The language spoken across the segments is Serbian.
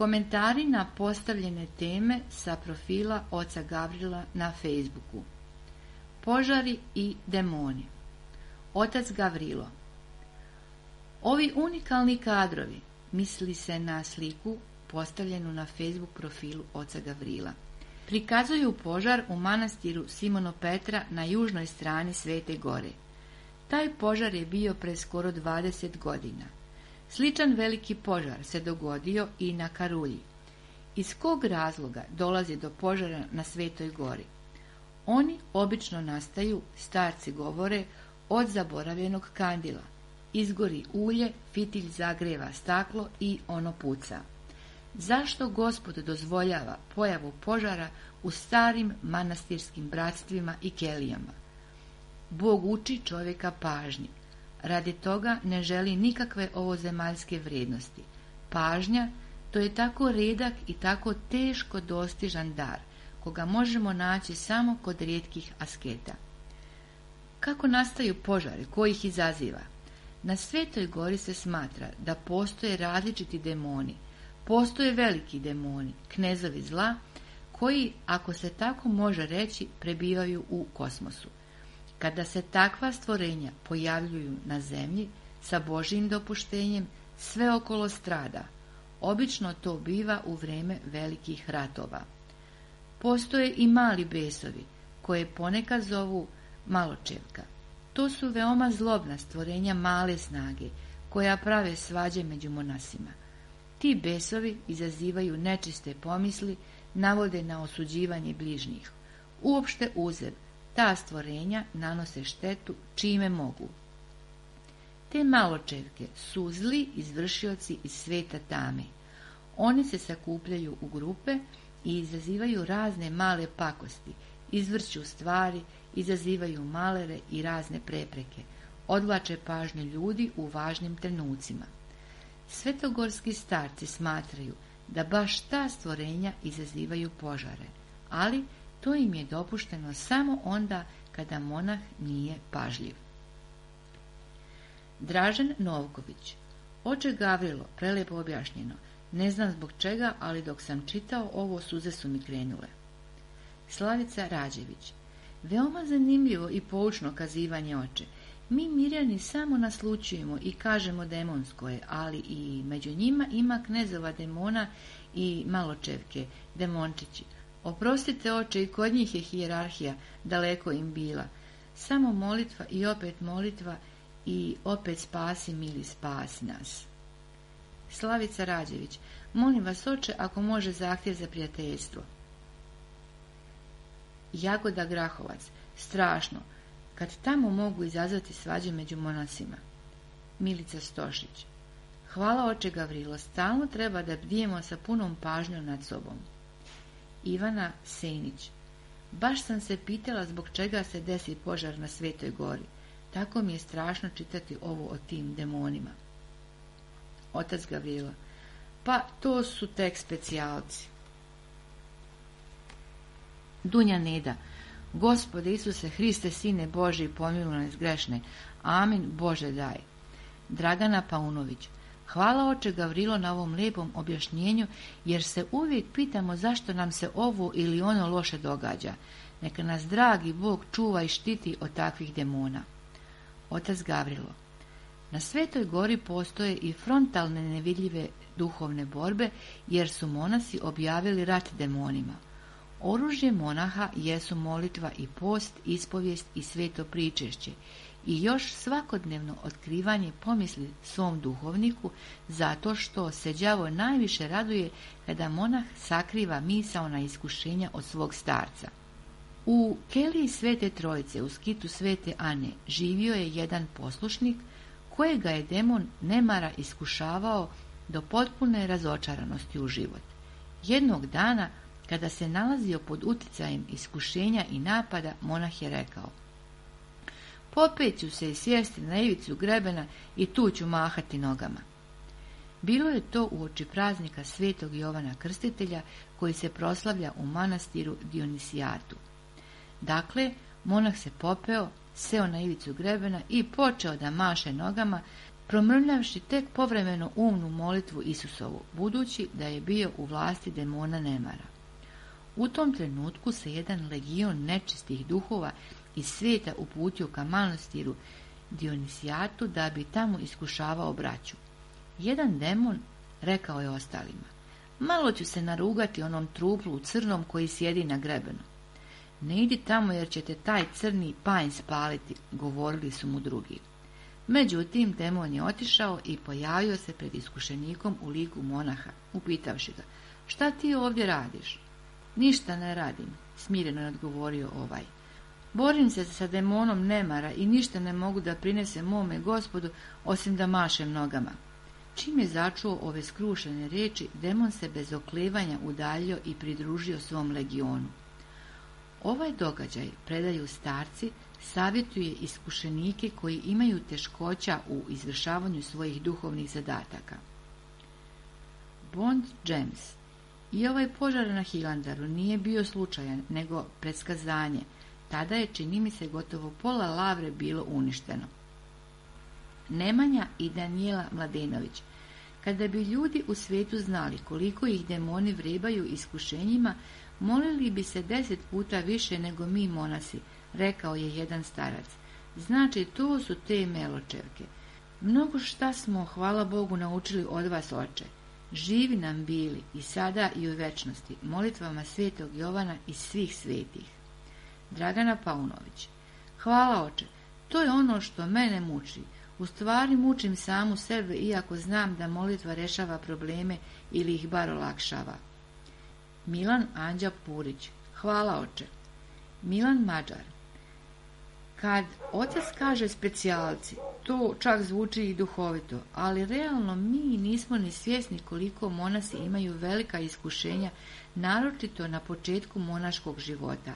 Komentari na postavljene teme sa profila oca Gavrila na Facebooku. Požari i demoni. Otac Gavrilo. Ovi unikalni kadrovi, misli se na sliku postavljenu na Facebook profilu oca Gavrila, prikazuju požar u manastiru Simono Petra na južnoj strani Svete Gore. Taj požar je bio pre skoro 20 godina. Sličan veliki požar se dogodio i na Karulji. Iz kog razloga dolazi do požara na Svetoj Gori? Oni obično nastaju, starci govore, od zaboravljenog kandila. Izgori ulje, fitilj zagreva staklo i ono puca. Zašto Gospod dozvoljava pojavu požara u starim manastirskim bratstvima i kelijama? Bog uči čovjeka pažnji. Radi toga ne želi nikakve ovozemaljske vrijednosti. Pažnja, to je tako redak i tako teško dostižan dar, koga možemo naći samo kod rijetkih asketa. Kako nastaju požari, ko ih izaziva? Na Svetoj Gori se smatra da postoje različiti demoni. Postoje veliki demoni, knezovi zla, koji, ako se tako može reći, prebivaju u kosmosu. Kada se takva stvorenja pojavljuju na zemlji sa Božjim dopuštenjem, sve okolo strada. Obično to biva u vrijeme velikih ratova. Postoje i mali besovi, koje ponekad zovu maločevka. To su veoma zlobna stvorenja male snage, koja prave svađe među monasima. Ti besovi izazivaju nečiste pomisli, navode na osuđivanje bližnjih. Uopšte uzev, ta stvorenja nanose štetu čime mogu. Te maločevke su zli izvršioci iz sveta tame. Oni se sakupljaju u grupe i izazivaju razne male pakosti, izvrću stvari, izazivaju malere i razne prepreke, odvlače pažnju ljudi u važnim trenucima. Svetogorski starci smatraju da baš ta stvorenja izazivaju požare, ali to im je dopušteno samo onda kada monah nije pažljiv. Dražen Novković. Oče Gavrilo, prelepo objašnjeno. Ne znam zbog čega, ali dok sam čitao ovo, suze su mi krenule. Slavica Rađević. Veoma zanimljivo i poučno kazivanje, oče. Mi Mirjani samo naslučujemo i kažemo demonsko je, ali i među njima ima knezova demona i maločevke, demončići. Oprostite, oče, i kod njih je hijerarhija daleko im bila. Samo molitva i opet molitva i opet spasi, mili, spasi nas. Slavica Rađević. Molim vas, oče, ako može zahtjev za prijateljstvo. Jagoda Grahovac. Strašno, kad tamo mogu izazvati svađe među monasima. Milica Stošić. Hvala, oče Gavrilo, stalno treba da bdijemo sa punom pažnjom nad sobom. Ivana Senić. Baš sam se pitala zbog čega se desi požar na Svetoj gori. Tako mi je strašno čitati ovo o tim demonima. Otac Gavrilo. Pa to su tek specijalci. Dunja Neda. Gospode Isuse Hriste, Sine Božji, pomiluj nas grešne. Amin, Bože daj. Dragana Paunović. Hvala, oče Gavrilo, na ovom lijepom objašnjenju, jer se uvijek pitamo zašto nam se ovo ili ono loše događa. Neka nas dragi Bog čuva i štiti od takvih demona. Otac Gavrilo. Na Svetoj gori postoje i frontalne nevidljive duhovne borbe, jer su monasi objavili rat demonima. Oružje monaha jesu molitva i post, ispovijest i sveto pričešće i još svakodnevno otkrivanje pomisli svom duhovniku, zato što se đavo najviše raduje kada monah sakriva misaona iskušenja od svog starca. U keliji Svete Trojice u skitu Svete Ane živio je jedan poslušnik kojega je demon nemara iskušavao do potpune razočaranosti u život. Jednog dana, kada se nalazio pod uticajem iskušenja i napada, monah je rekao: popet ću se i sjesti na ivicu grebena i tu ću mahati nogama. Bilo je to uoči praznika Svetog Jovana Krstitelja, koji se proslavlja u manastiru Dionisijatu. Dakle, monah se popeo, seo na ivicu grebena i počeo da maše nogama, promrmljavši tek povremeno umnu molitvu Isusovu, budući da je bio u vlasti demona nemara. U tom trenutku se jedan legion nečistih duhova iz svijeta uputio ka manastiru Dionisijatu da bi tamo iskušavao braću. Jedan demon rekao je ostalima: malo ću se narugati onom truplu u crnom koji sjedi na grebenu. Ne idi tamo jer će te taj crni panj spaliti, govorili su mu drugi. Međutim, demon je otišao i pojavio se pred iskušenikom u liku monaha, upitavši ga: šta ti ovdje radiš? Ništa ne radim, smireno je odgovorio ovaj. Borim se sa demonom nemara i ništa ne mogu da prinesem mome Gospodu osim da mašem nogama. Čim je začuo ove skrušene riječi, demon se bez oklevanja udaljio i pridružio svom legionu. Ovaj događaj, predaju starci, savjetuje iskušenike koji imaju teškoća u izvršavanju svojih duhovnih zadataka. Bond James. I ovaj požar na Hilandaru nije bio slučajan, nego predskazanje. Tada je, čini mi se, gotovo pola Lavre bilo uništeno. Nemanja i Danijela Mladenović. Kada bi ljudi u svijetu znali koliko ih demoni vrebaju iskušenjima, molili bi se 10 puta više nego mi monasi, rekao je jedan starac. Znači, to su te meločevke. Mnogo šta smo, hvala Bogu, naučili od vas, oče. Živi nam bili i sada i u večnosti, molitvama svetog Jovana i svih svetih. Dragana Paunović. Hvala, oče. To je ono što mene muči. U stvari mučim samu sebe, iako znam da molitva rešava probleme ili ih bar olakšava. Milan Anđa Purić. Hvala, oče. Milan Mađar. Kad otac kaže specijalci, to čak zvuči i duhovito, ali realno mi nismo ni svjesni koliko monasi imaju velika iskušenja, naročito na početku monaškog života,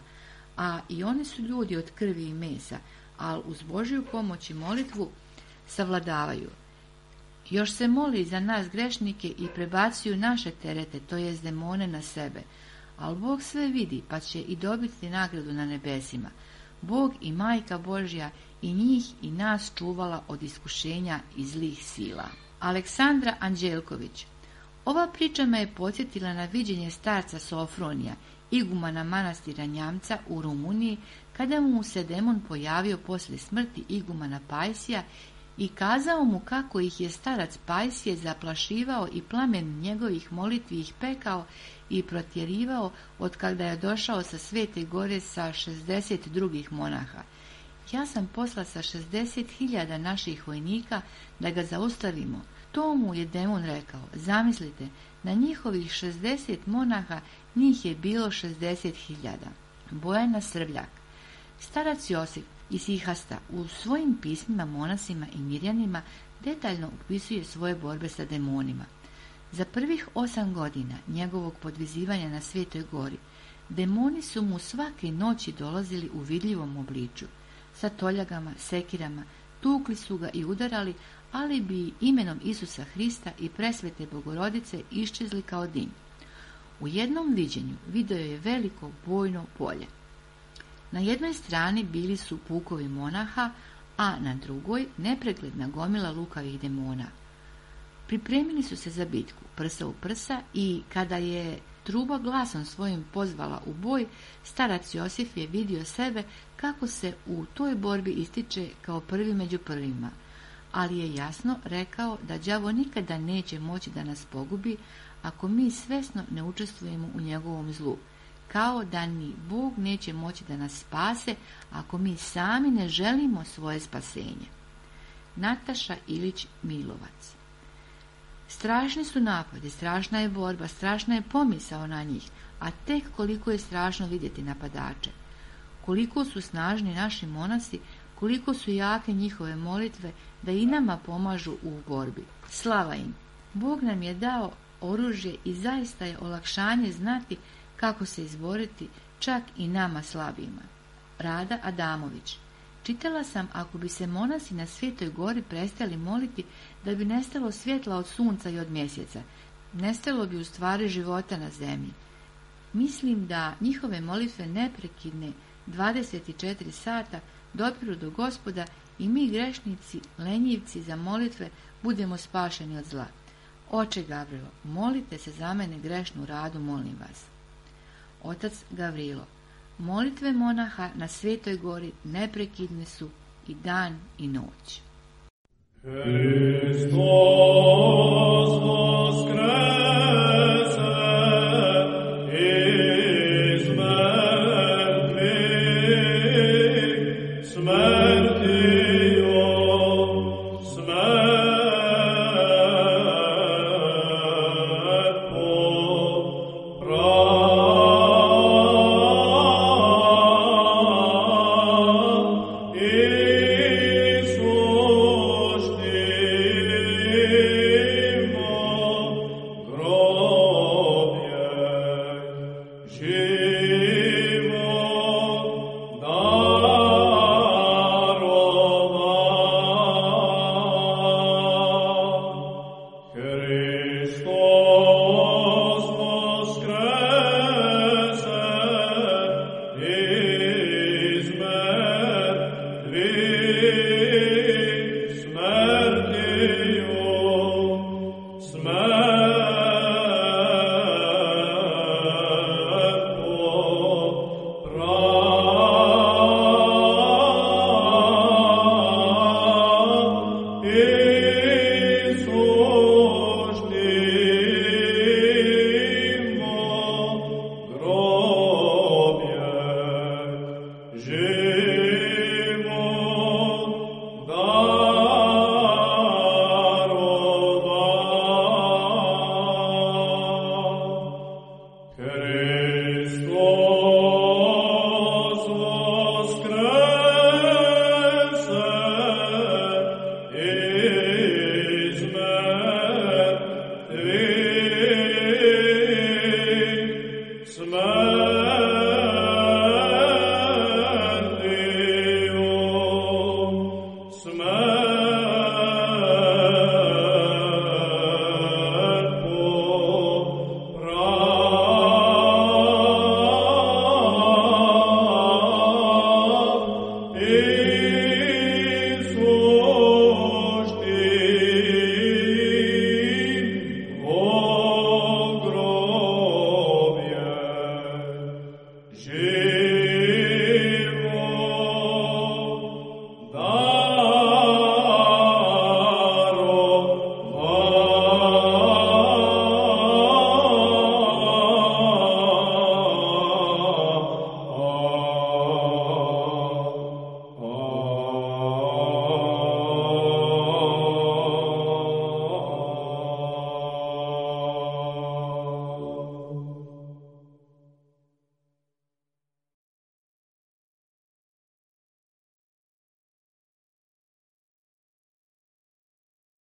a i oni su ljudi od krvi i mesa, ali uz Božju pomoć i molitvu savladavaju. Još se moli za nas grešnike i prebacuju naše terete, to jest demone, na sebe, ali Bog sve vidi pa će i dobiti nagradu na nebesima. Bog i Majka Božja i njih i nas čuvala od iskušenja i zlih sila. Aleksandra Anđelković. Ova priča me je podsjetila na viđenje starca Sofronija, igumana manastira Njamca u Rumuniji, kada mu se demon pojavio poslije smrti igumana Pajsija i kazao mu kako ih je starac Pajsije zaplašivao i plamen njegovih molitvi ih pekao i protjerivao od kada je došao sa Svete gore sa 60 drugih monaha. Ja sam posla sa 60.000 naših vojnika da ga zaustavimo. To mu je demon rekao. Zamislite, na njihovih 60 monaha njih je bilo 60.000. Bojana Srbljak. Starac Josif iz Ihasta u svojim pismima monasima i mirjanima detaljno opisuje svoje borbe sa demonima. Za prvih 8 godina njegovog podvizivanja na Svetoj gori, demoni su mu svake noći dolazili u vidljivom obliču. Sa toljagama, sekirama, tukli su ga i udarali, ali bi imenom Isusa Hrista i presvete Bogorodice iščezli kao dim. U jednom viđenju video je veliko bojno polje. Na jednoj strani bili su pukovi monaha, a na drugoj nepregledna gomila lukavih demona. Pripremili su se za bitku, prsa u prsa, i kada je truba glasom svojim pozvala u boj, starac Josif je vidio sebe kako se u toj borbi ističe kao prvi među prvima, ali je jasno rekao da đavo nikada neće moći da nas pogubi ako mi svesno ne učestvujemo u njegovom zlu, kao da ni Bog neće moći da nas spase ako mi sami ne želimo svoje spasenje. Nataša Ilić Milovac. Strašni su napadi, strašna je borba, strašna je pomisao na njih, a tek koliko je strašno vidjeti napadače. Koliko su snažni naši monasi, koliko su jake njihove molitve da i nama pomažu u borbi. Slava im! Bog nam je dao oružje i zaista je olakšanje znati kako se izboriti čak i nama slabima. Rada Adamović. Čitala sam, ako bi se monasi na Svetoj gori prestali moliti, da bi nestalo svjetla od sunca i od mjeseca. Nestalo bi u stvari života na zemlji. Mislim da njihove molitve neprekidne 24 sata dopiru do Gospoda i mi grešnici, lenjivci za molitve, budemo spašeni od zla. Oče Gavrilo, molite se za mene grešnu Radu, molim vas. Otac Gavrilo. Molitve monaha na Svetoj gori neprekidne su i dan i noć. Hristos voskrese iz mrtvih, smrtio smrt popravi. Jesus